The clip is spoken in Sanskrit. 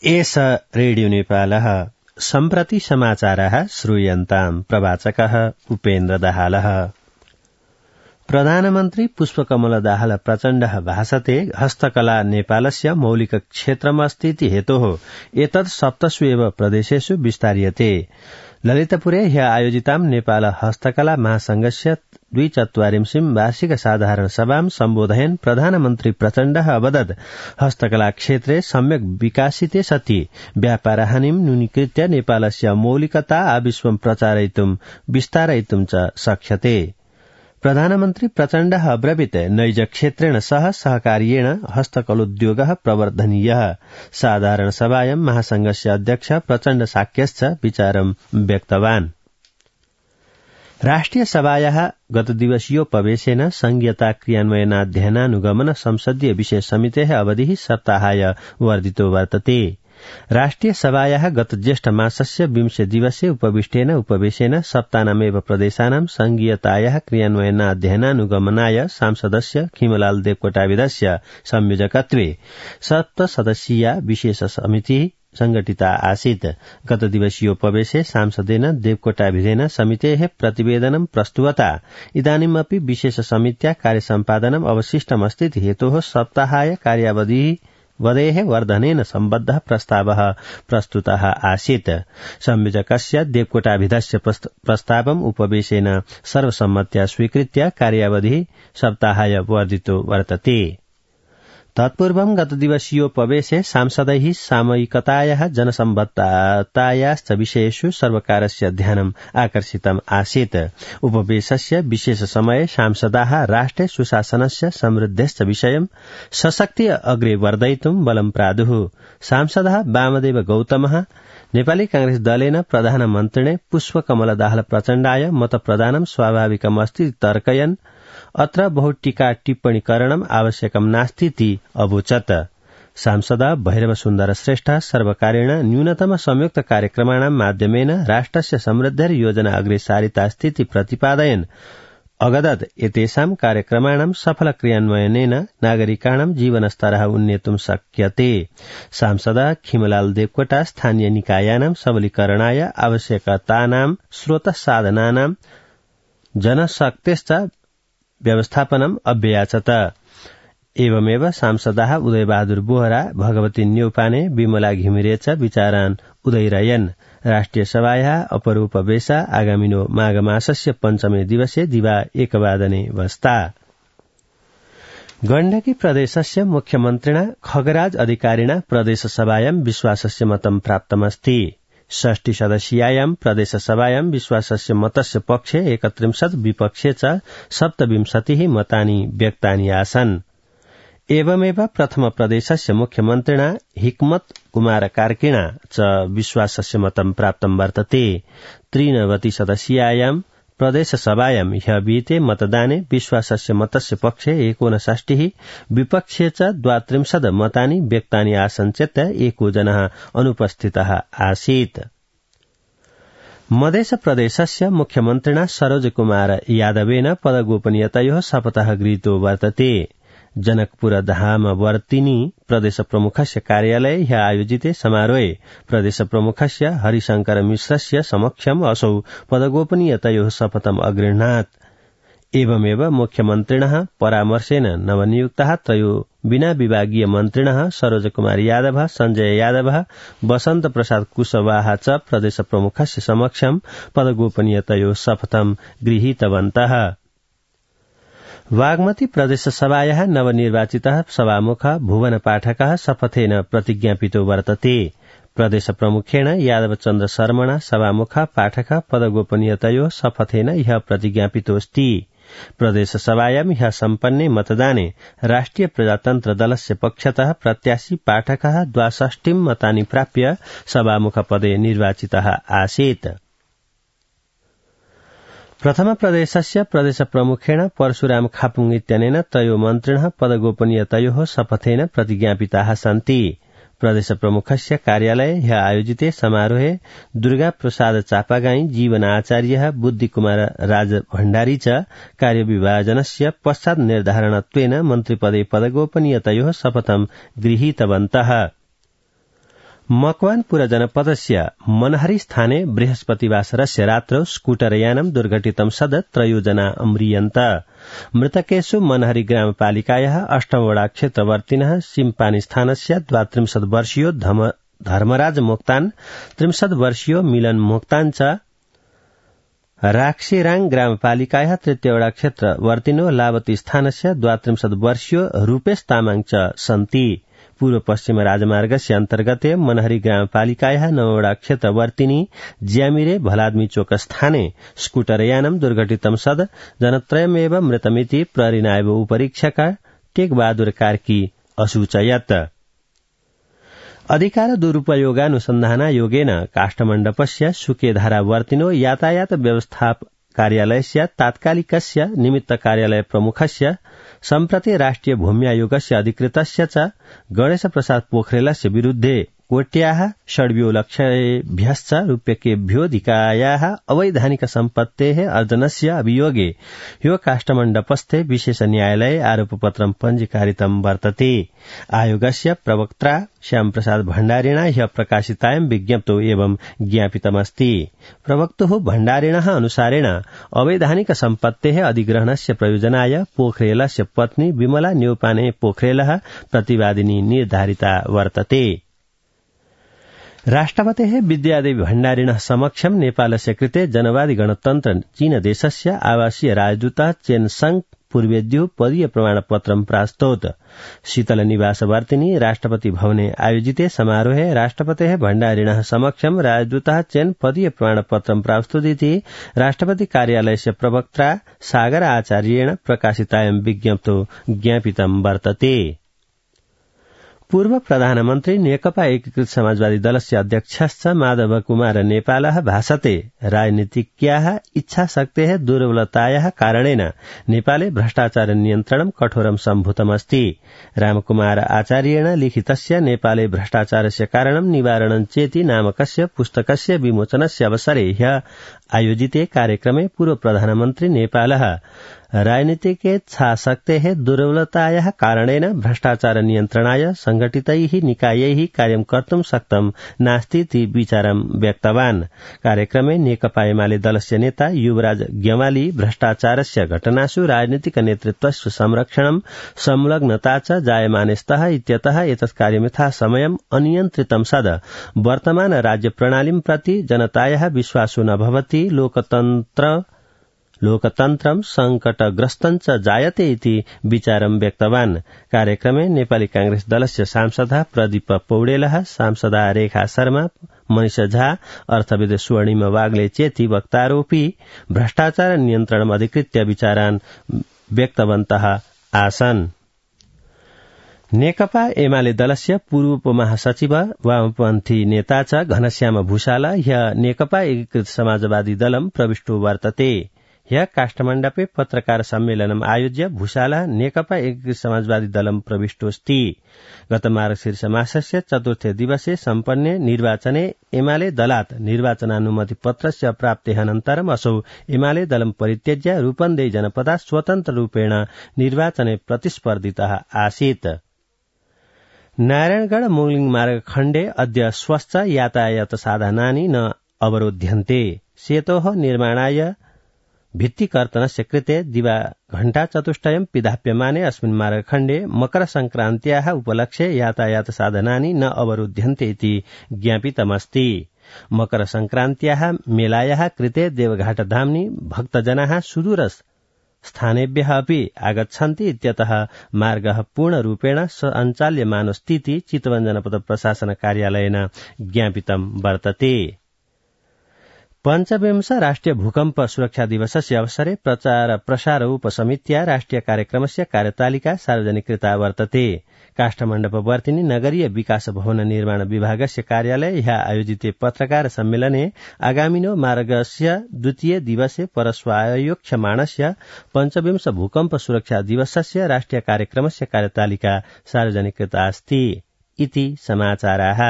एष रेडियो नेपालः सम्प्रति समाचारः श्रूयन्ताम् प्रवाचकः उपेन्द्र दाहालः। प्रधानमन्त्री पुष्पकमल दाहाल प्रचण्डः भाषते हस्तकला नेपालस्य मौलिक क्षेत्रमस्तीति हेतोः एतत् 7 प्रदेशेषु विस्तार्यते। ललितपुरे ह्य आयोजितां नेपाल हस्तकला महासंघस्य 42 वार्षिक साधारण सभां सम्बोधयन् प्रधानमन्त्री प्रचण्डः अवदत् हस्तकला क्षेत्रे सम्यक् विकासिते सति व्यापारहानिं न्यूनीकृत्य नेपालस्य मौलिकता आविश्वं प्रचारयितुं विस्तारयितुं च शक्यते। प्रधानमन्त्री प्रचण्डः अब्रवीत् नैज क्षेत्रेण सह सहकार्येण हस्तकलोद्योगः प्रवर्धनीयः। साधारण सभायां महासंघस्य अध्यक्ष प्रचण्ड साक्यश्च विचारं व्यक्तवान्। राष्ट्रिय सभायाः गतदिवसीयोपवेशेन संघीयता क्रियान्वयनाध्ययनानुगमन संसदीय विषय समितेः अवधिः सप्ताहाय वर्धितो वर्तते। राष्ट्रिय सभायाः गत ज्येष्ठ मासस्य 20 दिवसे उपवेशेन सप्तानामेव प्रदेशानां संघीयतायाः क्रियान्वयनाध्ययनानुगमनाय सांसदस्य खिमलाल देवकोटाविदस्य संयोजकत्वे 7 सदस्यीया विशेष समितिः संघटिता आसीत्। गत दिवसीयोपवेशे सांसदेन देवकोटाभिधेन समितेः प्रतिवेदनं प्रस्तुवता इदानीमपि विशेष समित्या कार्यसम्पादनम् अवशिष्टमस्तीति हेतोः सप्ताहाय कार्यावधिः वदेः वर्धनेन सम्बद्धः प्रस्तावः प्रस्तुतः आसीत्। संयोजकस्य देवकोटाभिधस्य प्रस्तावम् उपवेशेन सर्वसम्मत्या स्वीकृत्य कार्यावधिः सप्ताहाय वर्धितो वर्तते। तत्पूर्वं गतदिवसीयोपवेशे सांसदैः सामयिकतायाः जनसम्बद्धतायाश्च विषयेषु सर्वकारस्य ध्यानम् आकर्षितम् आसीत्। उपवेशस्य विशेष समये सांसदाः राष्ट्रे सुशासनस्य समृद्धेश्च विषयं सशक्तिः अग्रे वर्धयितुं बलं प्रादुः। सांसदः वामदेव गौतमः नेपाली कांग्रेस दलेन प्रधानमन्त्रिणे पुष्पकमल दाहाल प्रचण्डाय मतप्रदानं स्वाभाविकमस्ति तर्कयन् अत्र बहु टीका टिप्पणीकरणम् आवश्यकं नास्तीति अवोचत्। सांसद भैरव सुन्दर श्रेष्ठ सर्वकारेण न्यूनतम संयुक्त कार्यक्रमाणां माध्यमेन राष्ट्रस्य समृद्धेर योजना अग्रे सारितास्तीति प्रतिपादयन् अगदत् एतेषां कार्यक्रमाणां सफल क्रियान्वयनेन नागरिकाणां जीवनस्तरः उन्नेतुं शक्यते। सांसद खिमलाल देवकोटा स्थानीय निकायानां सबलीकरणाय आवश्यकतानां स्रोतसाधनानां जनशक्तेश्च व्यवस्थापनम् अभ्याचत। एवमेव सांसदाः उदयबहादुर बोहरा, भगवती न्यौपाने, विमला घिमिरे च विचारान् उदयरयन्। राष्ट्रिय सभायाः अपरोपवेश आगामिनो माघमासस्य 5 दिवसे दिवा 1 वादने वस्ता। गण्डकी प्रदेशस्य मुख्यमन्त्रिणा खगराज अधिकारिणा प्रदेशसभायां विश्वासस्य मतं प्राप्तमस्ति। 60 सदस्यायां प्रदेशसभायां विश्वासस्य मतस्य पक्षे 31 विपक्षे च 27 मतानि व्यक्तानि आसन्। एवमेव प्रथम प्रदेशस्य मुख्यमन्त्रिणा हिकमत कुमार कार्कीणा च विश्वासस्य मतं प्राप्तं वर्तते। 23 सदस्यायां प्रदेशसभायां ह्य विहिते मतदाने विश्वासस्य मतस्य पक्षे 59 विपक्षे च 32 मतानि व्यक्तानि आसन् चेत् 1 जनः अनुपस्थितः आसीत्। मध्य प्रदेशस्य मुख्यमन्त्रिणा सरोज कुमार यादवेन पदगोपनीयतयोः शपथः गृहीतो वर्तते। जनकपुर धामवर्तिनी प्रदेश प्रमुखस्य कार्यालये ह्य आयोजिते समारोहे प्रदेश प्रमुखस्य हरिशंकर मिश्रस्य समक्षम् असौ पदगोपनीयतयोः शपथम् अगृह्णात्। एवमेव मुख्यमन्त्रिणः परामर्शेन नवनियुक्ताः त्रयो बिना विभागीय मन्त्रिणः सरोज कुमार यादव, संजय यादव, वसंत प्रसाद कुशवाहा च प्रदेश प्रमुखस्य समक्षम् पदगोपनीयतयोः शपथम् गृहीतवन्तः। वाग्मती प्रदेशसभायाः नवनिर्वाचितः सभामुख भुवन पाठकः शपथेन प्रतिज्ञापितो वर्तते। प्रदेश प्रमुखेण यादव चन्द्र शर्मणा सभामुख पाठक पदगोपनीयतयोः शपथेन ह्य प्रतिज्ञापितोऽस्ति। प्रदेशसभायां ह्य सम्पन्ने मतदाने राष्ट्रिय प्रजातन्त्र दलस्य पक्षतः प्रत्याशी पाठकः 62 मतानि प्राप्य सभामुखपदे निर्वाचितः आसीत्। प्रथम प्रदेशस्य प्रदेश प्रमुखेण परशुराम खापुङ इत्यनेन त्रयो मन्त्रिणः पदगोपनीयतयोः शपथेन प्रतिज्ञापिताः सन्ति। प्रदेश प्रमुखस्य कार्यालये ह्य आयोजिते समारोहे दुर्गा प्रसाद चापागाई, जीवन आचार्यः, बुद्धि कुमार राज भण्डारी च कार्यविभाजनस्य पश्चात् निर्धारणत्वेन मन्त्रिपदे पदगोपनीयतयोः शपथं गृहीतवन्तः। मकवानपुर जनपदस्य मनहरी स्थाने बृहस्पतिवासरस्य रात्रौ स्कूटरयानं दुर्घटितं सद 3 जना अम्रियन्त। मृतकेषु मनहरी ग्रामपालिकायाः 8 वडा क्षेत्रवर्तिनः सिम्पानी स्थानस्य 32 वर्षीयो धर्मराज मोक्तान, 30 वर्षीयो मिलन मोक्तान च राक्सीराङ ग्रामपालिकायाः 3 वडा क्षेत्रवर्तिनो लावती स्थानस्य 32 वर्षीयो रूपेश तामाङ च सन्ति। पूर्व पश्चिम राजमार्गस्य अन्तर्गते मनहरी ग्रामपालिकायाः 9 वडा क्षेत्रवर्तिनी ज्यामिरे भलाद्मी चोक स्थाने स्कूटरयानं दुर्घटितं सद जनत्रयमेव मृतमिति प्रहरीनायब उपरीक्षक टेकबहादुर कार्की असूचयत्। अधिकार दुरुपयोगानुसन्धानायोगेन काष्ठमण्डपस्य सुकेधारावर्तिनो यातायात व्यवस्था कार्यालयस्य तात्कालिकस्य निमित्त कार्यालय प्रमुखस्य सम्प्रति राष्ट्रिय भूम्यायोगस्य अधिकृतस्य च गणेश प्रसाद पोखरेलस्य विरुद्धे कोट्याः षड्व्योलक्षेभ्यश्च रूप्यकेभ्योऽधिकायाः अवैधानिक सम्पत्तेः अर्जनस्य अभियोगे ह्यो काष्ठमण्डपस्थे विशेष न्यायालये आरोपपत्रं पञ्जीकारितं वर्तते। आयोगस्य प्रवक्त्रा श्यामप्रसाद भण्डारिणा ह्यः प्रकाशितायां विज्ञप्तौ एवं ज्ञापितमस्ति। प्रवक्तुः भण्डारिणः अनुसारेण अवैधानिक सम्पत्तेः अधिग्रहणस्य प्रयोजनाय पोखरेलस्य पत्नी विमला न्यौपाने पोखरेलः प्रतिवादिनी निर्धारिता वर्तते। राष्ट्रपतेः विद्यादेवी भण्डारिणः समक्षं नेपालस्य कृते जनवादी गणतन्त्र चीन देशस्य आवासीय राजदूतः चेन संग पूर्वेद्युः पदीय प्रमाणपत्रं प्रास्तौत। शीतल निवासवर्तिनी राष्ट्रपति भवने आयोजिते समारोहे राष्ट्रपतेः भण्डारिणः समक्षं राजदूतः चेन पदीय प्रमाणपत्रं प्रास्तुतीति राष्ट्रपति कार्यालयस्य प्रवक्त्रा सागर आचार्येण प्रकाशितायां विज्ञप्तौ ज्ञापितं वर्तते। पूर्व प्रधानमन्त्री नेकपा एकीकृत समाजवादी दलस्य अध्यक्षश्च माधव कुमार नेपालः भाषते राजनीतिज्ञाः इच्छाशक्तेः दुर्बलतायाः कारणेन नेपाले भ्रष्टाचार नियन्त्रणं कठोरं सम्भूतमस्ति। रामकुमार आचार्येण लिखितस्य नेपाले भ्रष्टाचारस्य कारणं निवारणं चेति नामकस्य पुस्तकस्य विमोचनस्य अवसरे ह्यः आयोजिते कार्यक्रमे पूर्व प्रधानमन्त्री नेपालः राजनीतिकेच्छाशक्तेः दुर्बलतायाः कारणेन भ्रष्टाचार नियन्त्रणाय संघटितैः निकायैः कार्यं कर्तुं शक्तं नास्तीति विचारं व्यक्तवान्। कार्यक्रमे नेकपा एमाले दलस्य नेता युवराज गेवाली भ्रष्टाचारस्य घटनासु राजनीतिक नेतृत्वस्य संरक्षणं संलग्नता च जायमाने स्तः इत्यतः एतत् कार्यं यथा समयम् अनियन्त्रितं सद वर्तमान राज्य प्रणालीं प्रति जनतायाः विश्वासो न भवति। लोकतन्त्रं संकटग्रस्तं च जायते इति विचारं व्यक्तवान्। कार्यक्रमे नेपाली कांग्रेस दलस्य सांसदः प्रदीप पौडेलः, सांसदा रेखा शर्मा, मनिष झा, अर्थविद स्वर्णिम वाग्ले चेति वक्तारोपी भ्रष्टाचार नियन्त्रणम् अधिकृत्य विचारान् व्यक्तवन्तः आसन्। नेकपा एमाले दलस्य पूर्व उपमहासचिव वामपन्थी नेता च घनश्याम भूषाल ह्यः नेकपा एकीकृत समाजवादी दलं प्रविष्टो वर्तते। ह्यः काष्ठमण्डपे पत्रकार सम्मेलनम् आयोज्य भूषालः नेकपा एकीकृत समाजवादी दलं प्रविष्टोऽस्ति। गत मार्गशीर्ष मासस्य चतुर्थे दिवसे सम्पन्ने निर्वाचने एमाले दलात् निर्वाचनानुमति पत्रस्य प्राप्तेः अनन्तरम् असौ एमाले दलं परित्यज्य रूपन्देही जनपदात् स्वतन्त्र रूपेण निर्वाचने प्रतिस्पर्धितः आसीत्। नारायणगढ़ मोगलिङ मार्ग खण्डे अद्य स्वस्थ यातायात साधनानि न अवरोध्यन्ते। सेतोः निर्माणाय भित्तिकर्तनस्य कृते दिवाघण्टाचतुष्टयं पिधाप्यमाने अस्मिन् मार्गखण्डे मकरसंक्रान्त्याः उपलक्ष्ये यातायात साधनानि न अवरुध्यन्ते इति ज्ञापितमस्ति। मकरसंक्रान्त्याः मेलायाः कृते देवघाटधाम्नि भक्तजनाः सुदूर स्थानेभ्यः अपि आगच्छन्ति इत्यतः मार्गः पूर्णरूपेण सञ्चाल्यमानोऽस्तीति चितवन जनपद प्रशासन कार्यालयेन ज्ञापितं वर्तते। पञ्चविंश राष्ट्रिय भूकम्प सुरक्षा दिवसस्य अवसरे प्रचार प्रसार उपसमित्या राष्ट्रिय कार्यक्रमस्य कार्यतालिका सार्वजनिकृता वर्तते। काष्ठमण्डपवर्तिनी नगरीय विकास भवन निर्माण विभागस्य कार्यालये ह्यः आयोजिते पत्रकार सम्मेलने आगामिनो मार्गस्य द्वितीय दिवसे परस्वायोक्ष्यमाणस्य पञ्चविंश भूकम्प सुरक्षा दिवसस्य राष्ट्रिय कार्यक्रमस्य कार्यतालिका सार्वजनिकृता अस्ति इति समाचाराः।